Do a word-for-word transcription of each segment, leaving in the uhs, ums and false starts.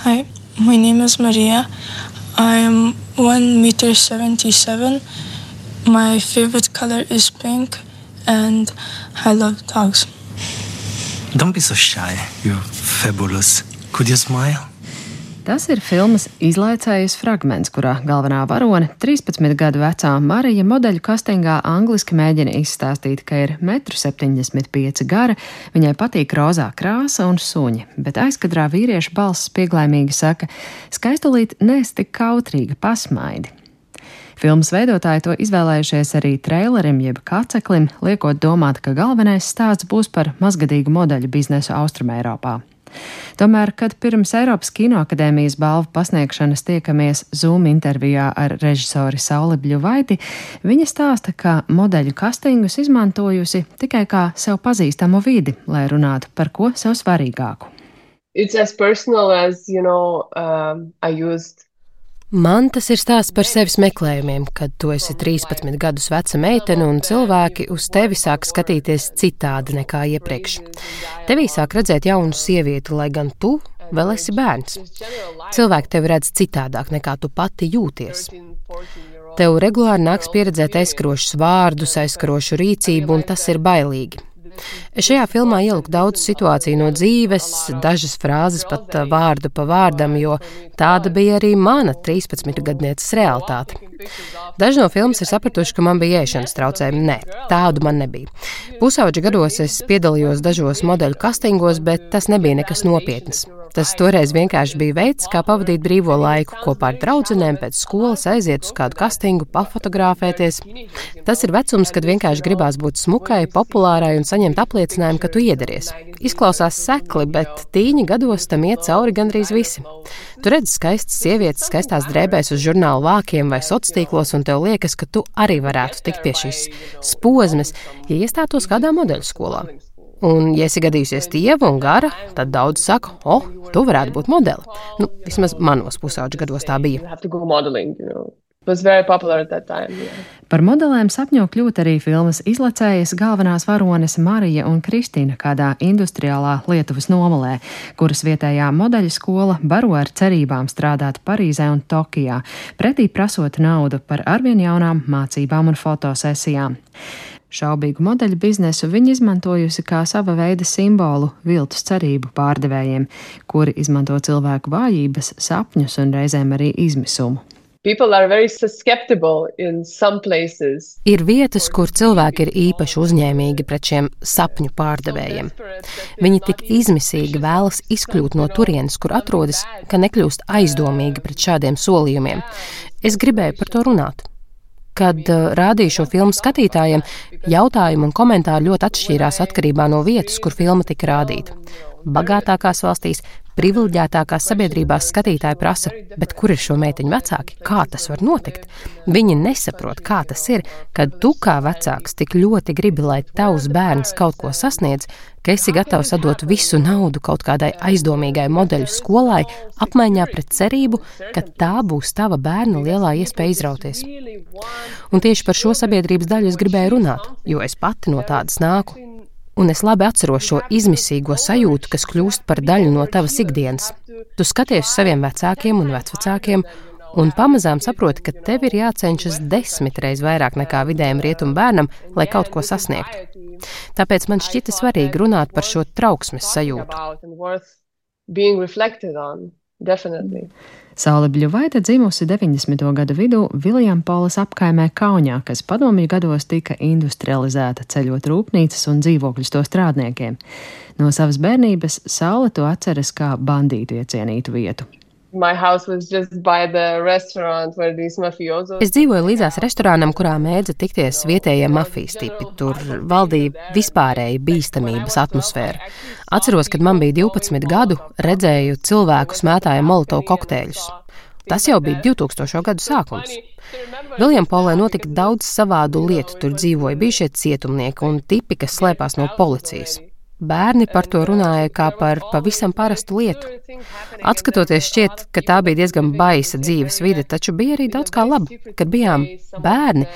Hi, my name is Maria. I am one meter seventy-seven. My favorite color is pink, and I love dogs. Don't be so shy. You're fabulous. Could you smile? Tas ir filmas izlaicējas fragments, kurā galvenā varone, trīspadsmit gadu vecā Marija modeļu kastingā angliski mēģina izstāstīt, ka ir metru septiņdesmit pieci gara, viņai patīk rozā krāsa un suņi, bet aizkadrā vīrieša balss pieglaimīgi saka: skaistulīt, neesi tik kautrīga, pasmaidi. Filmas veidotāji to izvēlējušies arī treilerim jeb kaceklim, liekot domāt, ka galvenais stāsts būs par mazgadīgu modeļu biznesu Austrumeiropā. Tomēr, kad pirms Eiropas Kinoakadēmijas balvu pasniegšanas tiekamies Zoom intervijā ar režisori Sauli Bļuvaiti, viņa stāsta, ka modeļu kastingus izmantojusi tikai kā sev pazīstamu vidi, lai runātu par ko sev svarīgāku. It's as personal as, you know, um, I used Man tas ir stāsts par sevis meklējumiem, kad tu esi trīspadsmit gadus veca meitene un cilvēki uz tevi sāk skatīties citādi nekā iepriekš. Tevī sāk redzēt jaunu sievieti, lai gan tu vēl esi bērns. Cilvēki tevi redz citādāk nekā tu pati jūties. Tev regulāri nāks pieredzēt aizskarošus vārdus, aizskarošu rīcību, un tas ir bailīgi. Es šajā filmā ieliku daudz situāciju no dzīves, dažas frāzes pat vārdu pa vārdam, jo tāda bija arī mana trīspadsmitgadnieces realitāte. Daži no filmas ir sapratuši, ka man bija ēšanas traucējumi. Nē, tādu man nebija. Pusauģa gados es piedalījos dažos modeļu kastingos, bet tas nebija nekas nopietnas. Tas toreiz vienkārši bija veids, kā pavadīt brīvo laiku, kopā ar draudzenēm pēc skolas aiziet uz kādu kastingu, pafotografēties. Tas ir vecums, kad vienkārši gribās būt smukai, populārai un saņemt apliecinājumu, ka tu iederties. Izklausās sekli, bet tīņa gados tam iet cauri gandrīz visi. Tu redzi skaistas sievietes skaistās drēbēs uz žurnālu vākiem vai sociālos, un tev liekas, ka tu arī varētu tikt pie šīs spozmes, ja iestātos kādā modeļu skolā. Un, ja esi gadījusies tieva un gara, tad daudz saka, o, tu varētu būt modeli. Nu, vismaz manos pusauģa gados tā bija. Par modelēm sapņo kļūt arī filmas izlacējas galvenās varones Marija un Kristīna kādā industriālā Lietuvas nomalē, kuras vietējā modeļu skola baro ar cerībām strādāt Parīzē un Tokijā, pretī prasot naudu par arvien jaunām mācībām un fotosesijām. Šaubīgu modeļu biznesu viņa izmantojusi kā sava veida simbolu viltus cerību pārdevējiem, kuri izmanto cilvēku vājības, sapņus un reizēm arī izmisumu. Ir vietas, kur cilvēki ir īpaši uzņēmīgi pret šiem sapņu pārdevējiem. Viņi tik izmisīgi vēlas izkļūt no turienes, kur atrodas, ka nekļūst aizdomīgi pret šādiem solījumiem. Es gribēju par to runāt. Kad uh, rādīju šo filmu skatītājiem, jautājumi un komentāri ļoti atšķīrās atkarībā no vietas, kur filma tika rādīta. Bagātākās valstīs, privileģētākās sabiedrībās skatītāji prasa, bet kur ir šo meiteņu vecāki? Kā tas var notikt? Viņi nesaprot, kā tas ir, kad tu kā vecāks tik ļoti gribi, lai tavs bērns kaut ko sasniedz, ka esi gatavs atdot visu naudu kaut kādai aizdomīgai modeļu skolai, apmaiņā pret cerību, ka tā būs tava bērna lielā iespēja izrauties. Un tieši par šo sabiedrības daļu es gribēju runāt, jo es pati no tādas nāku. Un es labi atceros šo izmisīgo sajūtu, kas kļūst par daļu no tavas ikdienas. Tu skaties uz saviem vecākiem un vecvecākiem, un pamazām saproti, ka tev ir jācenšas desmit reiz vairāk nekā vidējam rietumu bērnam, lai kaut ko sasniegtu. Tāpēc man šķita svarīgi runāt par šo trauksmes sajūtu. Saule Bļuvaite dzimusi deviņdesmito gadu vidū Viljampoles apkaimē Kaunijā, kas padomju gados tika industrializēta, ceļot rūpnīcas un dzīvokļus to strādniekiem. No savas bērnības Saule to atceras kā bandītu iecienītu vietu. Es dzīvoju līdzās restorānam, kurā mēdza tikties vietējie mafijas tipi. Tur valdīja vispārēja bīstamības atmosfēra. Atceros, kad man bija divpadsmit gadu, redzēju cilvēku smētāja molotovu kokteļus. Tas jau bija divtūkstošo gadu sākums. Viljampolē notika daudz savādu lietu, tur dzīvoja bijušie cietumnieki un tipi, kas slēpās no policijas. Bērni par to runāja kā par pavisam parastu lietu. Atskatoties šķiet, ka tā bija diezgan baisa dzīves vide, taču bija arī daudz kā laba. Kad bijām bērni,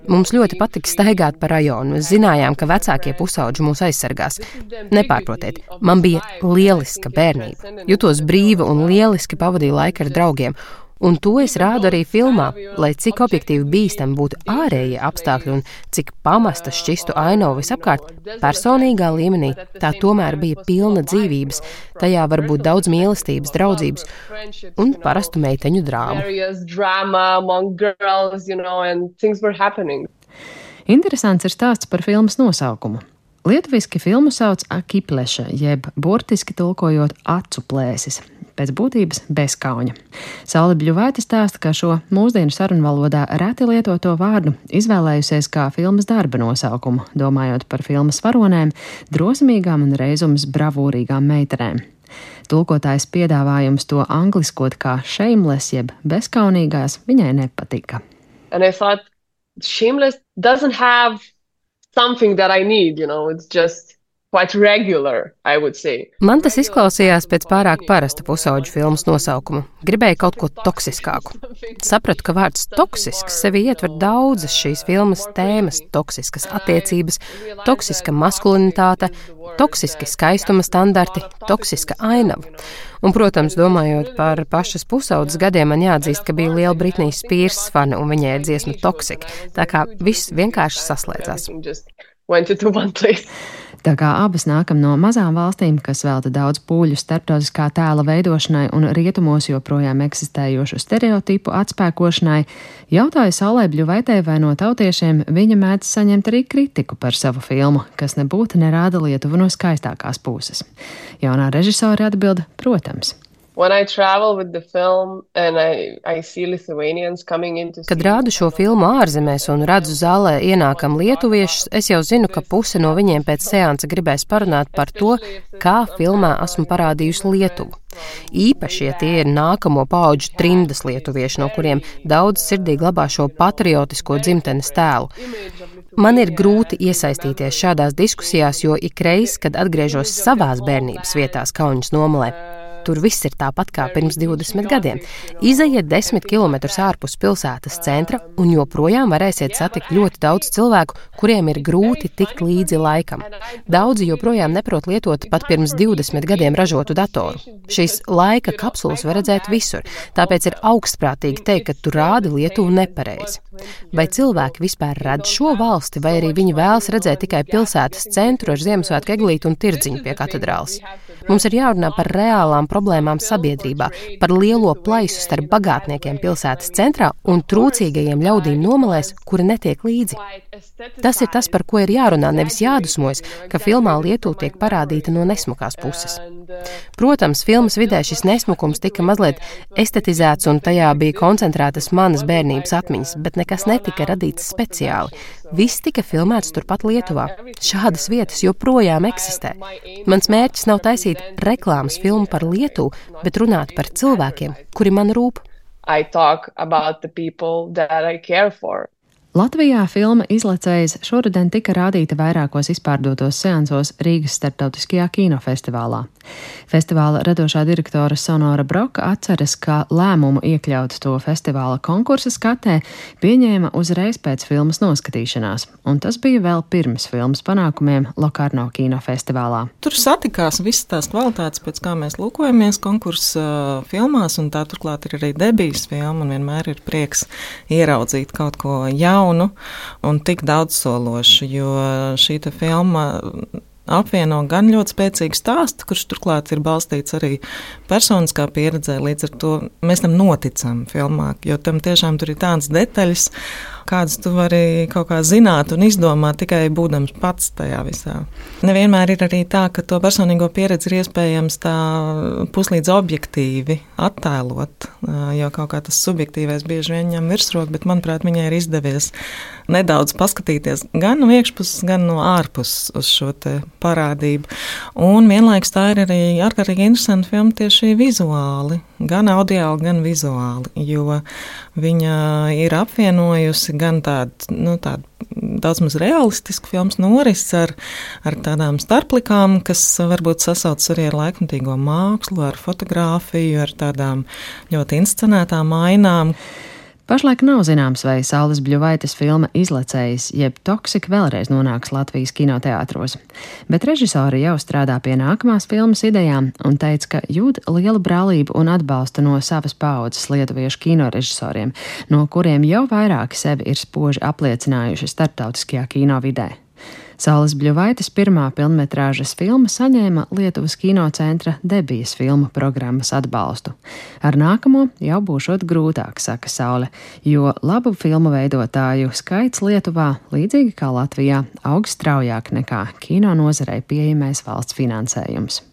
Mums ļoti patika staigāt pa rajonu. Mēs zinājām, ka vecākie pusauģi mūs aizsargās. Nepārprotiet, man bija lieliska bērnība. Jutos brīva un lieliski pavadīju laiku ar draugiem. Un to es rādu arī filmā, lai cik objektīvi bīstami būtu ārējie apstākļi un cik pamasta šķistu ainavu visapkārt, personīgā līmenī tā tomēr bija pilna dzīvības, tajā var būt daudz mīlestības, draudzības un parastu meiteņu drāmu. Interesants ir stāsts par filmas nosaukumu. Lietuviski filmu sauc akipleša, jeb burtiski tulkojot acu plēsis. Pēc būtības bezkauņa. Saule Bļuvaite stāsta, ka šo mūsdienu sarunvalodā reti lietoto vārdu izvēlējusies kā filmas darba nosaukumu, domājot par filmas varonēm, drosmīgām un reizums bravūrīgām meitenēm. Tulkotājs piedāvājums to angliskot kā shameless, jeb bezkaunīgās, viņai nepatika. And I thought, shameless doesn't have something that I need, you know, it's just quite regular, I would say. Man tas izklausījās pēc pārāk parasta pusauģu filmas nosaukumu. Gribēju kaut ko toksiskāku. Sapratu, ka vārds toksisks sevi ietver daudzas šīs filmas tēmas - toksiskas attiecības, toksiska maskulinitāte, toksiski skaistuma standarti, toksiska ainava. Un, protams, domājot par pašas pusaudzes gadiem, man jāatzīst, ka bija liela Britney Spears fana un viņai ir dziesma Toxic. Tā kā viss vienkārši saslēdzās. Tā kā abas nākam no mazām valstīm, kas velta daudz pūļu starptautiskā tēla veidošanai un rietumos joprojām eksistējošu stereotipu atspēkošanai, jautāja Saulei Bļuvaitei, vai no tautiešiem viņa mēdz saņemt arī kritiku par savu filmu, kas nebūtu nerāda Lietuvu no skaistākās puses. Jaunā režisore atbilda, protams. Kad rādu šo filmu ārzemēs un redzu zālē ienākam lietuviešus, es jau zinu, ka puse no viņiem pēc seansa gribēs parunāt par to, kā filmā esmu parādījusi Lietuvu. Īpaši, ja tie ir nākamo paudžu trimdas lietuvieši, no kuriem daudz sirdī glabā šo patriotisko dzimtenes tēlu. Man ir grūti iesaistīties šādās diskusijās, jo ikreiz, kad atgriežos savās bērnības vietās Kaunas nomalē, tur viss ir tāpat kā pirms divdesmit gadiem. Izejiet desmit kilometrus ārpus pilsētas centra un joprojām varēsiet satikt ļoti daudz cilvēku, kuriem ir grūti tikt līdzi laikam. Daudzi joprojām neprot lietot pat pirms divdesmit gadiem ražotu datoru. Šīs laika kapsulas var redzēt visur, tāpēc ir augstprātīgi teikt, ka tu rādi Lietuvu nepareizi. Vai cilvēki vispār redz šo valsti, vai arī viņi vēlas redzēt tikai pilsētas centru ar Ziemassvētku eglīti un tirdziņu pie katedrāles? Mums ir jārunā par reālām problēmām sabiedrībā, par lielo plaisu starp bagātniekiem pilsētas centrā un trūcīgajiem ļaudīm nomalēs, kuri netiek līdzi. Tas ir tas, par ko ir jārunā, nevis jādusmojas, ka filmā Lietuva tiek parādīta no nesmukās puses. Protams, filmas vidē šis nesmukums tika mazliet estetizēts un tajā bija koncentrētas manas bērnības atmiņas, bet nekas netika radīts speciāli. Viss tika filmēts turpat Lietuvā. Šādas vietas joprojām eksistē. Mans mērķis nav taisīt reklāmas filmu par Lietuvu, bet runāt par cilvēkiem, kuri man rūp. I talk about the people that I care for. Latvijā filma Izlecējs šoruden tika rādīta vairākos izpārdotos seansos Rīgas starptautiskajā kinofestivālā. Festivāla radošā direktore Sonora Broka atceras, ka lēmumu iekļaut to festivāla konkursa skatē pieņēma uzreiz pēc filmas noskatīšanās, un tas bija vēl pirms filmas panākumiem Lokarno kinofestivālā. Tur satikās visas tās kvalitātes, pēc kā mēs lūkojamies konkursa filmās, un tā turklāt ir arī debijas filma, un vienmēr ir prieks ieraudzīt kaut ko jaunu un tik daudzsološu, jo šī te filma apvieno gan ļoti spēcīgu stāstu, kurš turklāt ir balstīts arī personiskā pieredzē, līdz ar to mēs tam noticam filmā, jo tam tiešām tur ir tādas detaļas, kādas tu vari kaut kā zināt un izdomāt tikai būdams pats tajā visā. Nevienmēr ir arī tā, ka to personīgo pieredzi ir iespējams tā puslīdz objektīvi attēlot, jo kaut kā tas subjektīvais bieži vien ņem virsroku, bet manuprāt viņai ir izdevies nedaudz paskatīties gan no iekšpuses, gan no ārpuses uz šo te parādību. Un vienlaikus tā ir arī ārkārtīgi interesanta filma tieši vizuāli, gan audiāli, gan vizuāli, jo viņa ir apvienojusi gan tādu, nu, tādu daudz maz realistisku filmas norisi ar, ar tādām starplikām, kas varbūt sasaucas arī ar laikmatīgo mākslu, ar fotogrāfiju, ar tādām ļoti inscenētām ainām. Pašlaik nav zināms, vai Saules Bļuvaites filma Izlecējs jeb Toksik vēlreiz nonāks Latvijas kinoteātros, bet režisori jau strādā pie nākamās filmas idejām un teica, ka jūt lielu brālību un atbalstu no savas paaudzes lietuviešu kinorežisoriem, no kuriem jau vairāki sevi ir spoži apliecinājuši starptautiskajā kinovidē. Saules Bļuvaites pirmā pilnmetrāžas filma saņēma Lietuvas kinocentra Debijas filmu programmas atbalstu. Ar nākamo jau būšot grūtāk, saka Saule, jo labu filmu veidotāju skaits Lietuvā, līdzīgi kā Latvijā, aug straujāk nekā kino nozarei pieejamais valsts finansējums.